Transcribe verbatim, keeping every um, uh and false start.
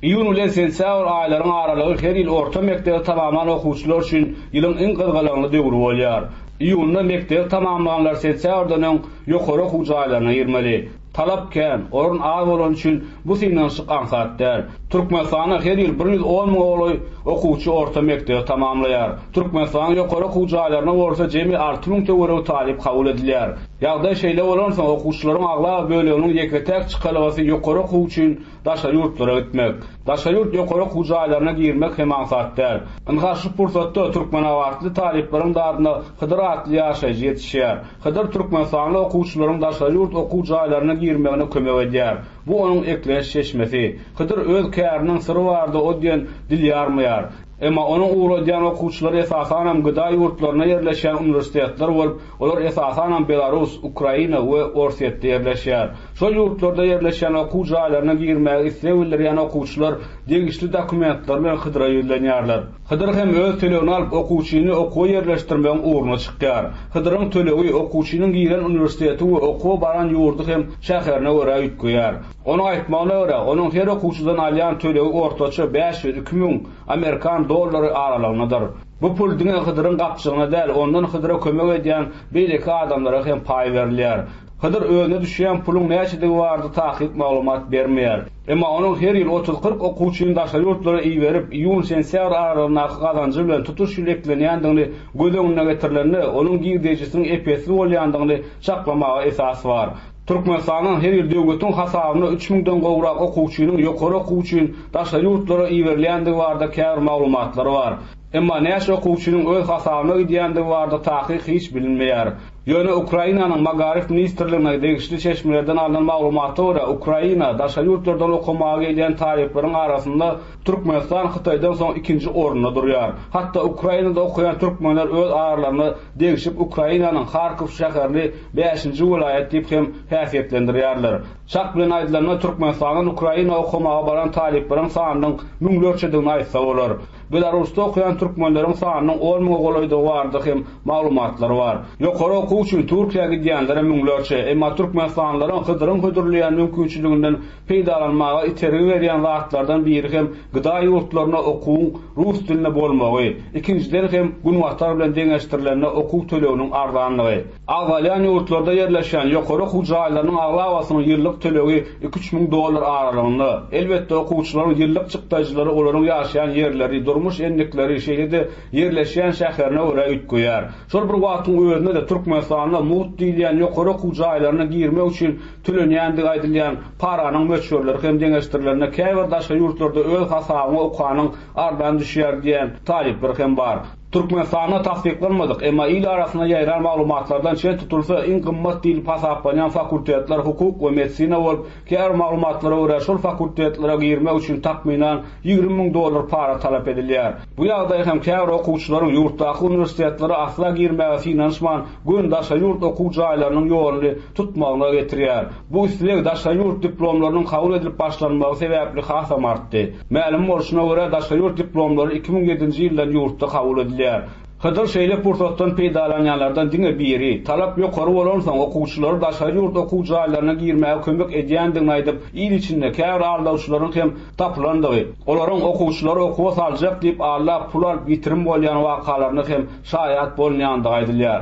Iýun bilen sentýabr aýlaryň aralygy her ýyl orta mekdebi tamamlan okuwçylar üçin ýylyň iň gyzgalaňly döwri bolýar. Iýunda mekdebi tamamlanlar sentýabrdan öň ýokary okuw jaýlaryna girmeli. Talap kän, orun az bolany üçin bu synanyşyk aňsat däl. Türkmenistanda her ýyl bir ýüz on müňe golaý okuwçy orta mekdebi tamamlaýar. Türkmenistanyň ýokary okuw jaýlaryna bolsa jemi alty müň töweregi talyp kabul edilýär. Ýagdaý şeýle bolansoň okuwçylaryň aglaba böleginiň ýeke-täk çykalgasy ýokary okuw üçin daşary ýurtlara gitmek. Daşary ýurt ýokary okuw jaýlaryna girmek hem aňsat däl. Ynha şu pursatda Türkmenabatly talyplaryň dadyna Hydyr atly ýaşaýjy ýetişýär. Hydyr Türkmenistanly okuwçylaryň daşary ýurt okuw jaýlaryna girmegine kömek edýär. Bu onuň ekleýiş çeşmesi. Hydyr öz käriniň syry barada o diýen dil ýarmaýar. Emma onuň ugradýan okuwçylary esasanam G D A ýurtlaryna ýerleşýän uniwersitetler bolup, olar esasanam Belarus, Ukraina we Orsýetde ýerleşýär. Şol ýurtlarda ýerleşýän okuw jaýlaryna girmäge isleg bildirýän okuwçylar degişli dokumentler bilen Hydyra ýüzlenýärler. Hydyr hem öz tölegini alyp okuwçyny okuwa ýerleşdirmegiň ugruna çykýar. Hydyryň tölegi okuwçynyň giren uniwersiteti we okuwa baran ýurdy hem şäherine görä üýtgeýär. Onuň aýtmagyna görä, onuň her okuwçydan alýan tölegi ortaça bäş ýüz iki müň Amerikan dollary aralygyndadyr. Bu pul diňe Hydyryň gapjygyna däl, ondan Hydyra kömek edýän beýleki adamlara hem paý berilýär. Hydyr özüne düşýän puluň näçedigi barada takyk maglumat bermeýär. Emma onuň her ýyl otuz kyrk okuwçyny daşary ýurtlara iberip, iýun sentýabr aralygyndaky gazanjy bilen tutuş ýyl eklenýändigini göz öňüne getirilende, onuň girdejisiniň ep-esli bolýandygyny çaklamaga esas bar. Türkmenistandan her ýyl döwletiň hasabyna üç müňden gowrak okuwçynyň ýokary okuw üçin daşary ýurtlara iberilýändigi barada käbir maglumatlar bar. Emma näçe okuwçynyň öz hasabyna gidýändigi barada takyk hiç bilinmeýär. Ýöne Ukrainanyň Magaryf ministrligine degişli çeşmelerden alnan maglumata görä, Ukraina daşary ýurtlardan okamaga gelýän talyplaryň arasynda Türkmenistan Hytaýdan soň ikinji orunda durýar. Hatda Ukrainada okaýan türkmenler öz aralarynda degişip Ukrainanyň Harkov şäherini bäşinji welaýat diýip hem häsiýetlendirýärler. Çak bilen aýdylanda Türkmenistandan Ukraina okamaga baran talyplaryň sanynyň müňlerçedigini aýtsa bolar. Belarusda okaýan türkmenleriň sanynyň on müňe golaýdygy barada hem maglumatlar bar. Ýokary okuw üçin Türkiýä gidýänlere müňlerçe, emma Türkmenistanlylaryň Hydyryň hödürleýän mümkinçiliginden peýdalanmaga itergi berýän zatlardan biri hem G D A ýurtlaryna okuwyň rus dilinde bolmagy, ikinjiden hem Günbatar bilen deňeşdirilende okuw töleginiň arzanlygy. Agzalýan ýurtlarda ýerleşýän ýokary okuw jaýlarynyň aglabasynyň ýyllyk tölegi iki üç müň dollar aralygynda. Elbetde okuwçylaryň ýyllyk çykdajylary olaryň ýaşaýan ýerleri, durmuş endikleri, şeýle-de ýerleşýän şäherine görä üýtgeýär. Şol bir wagtyň özünde de Türkmenistanda mugt diýilýän ýokary okuw jaýlaryna girmek üçin tölenýändigi aýdylýan paranyň möçberleri hem deňeşdirilerinde käbir daşary ýurtlarda öz hasabyňa okanyň arzan düşýär diýen talyplar hem bar. Türkmenistanda tassyklanmadyk, emma il arasynda ýaýran maglumatlardan çen tutulsa iň gymmat diýilip hasaplanýan fakultetler hukuk we medisina bolup, käbir maglumatlara görä şol fakultetlere girmek üçin takmynan ýigrimi müň dollar para talap edilýär. Bu ýagdaý hem käbir okuwçylaryň ýurtdaky uniwersitetlere asla girmäge synanyşman, göni daşary ýurt okuw jaýlarynyň ýoluny tutmagyna getirýär. Bu isleg daşary ýurt diplomlarynyň kabul edilip başlanmagy sebäpli hasam artdy. Mälim bolşuna görä daşary ýurt diplomlary iki müň ýedinji ýyldan ýurtda kabul edilýär. Hydyr şeýle pursatdan peýdalanýanlardan diňe biri, talap ýokary bolansoň okuwçylary daşary ýurt okuw jaýlaryna girmäge kömek edýändigini aýdyp, il içinde käbir aldawçylaryň hem tapylandygy, olaryň okuwçylary okuwa saljak diýip aldap pul alyp ýitirim bolýan wakalaryna hem şaýat bolunýandygy aýdylýar.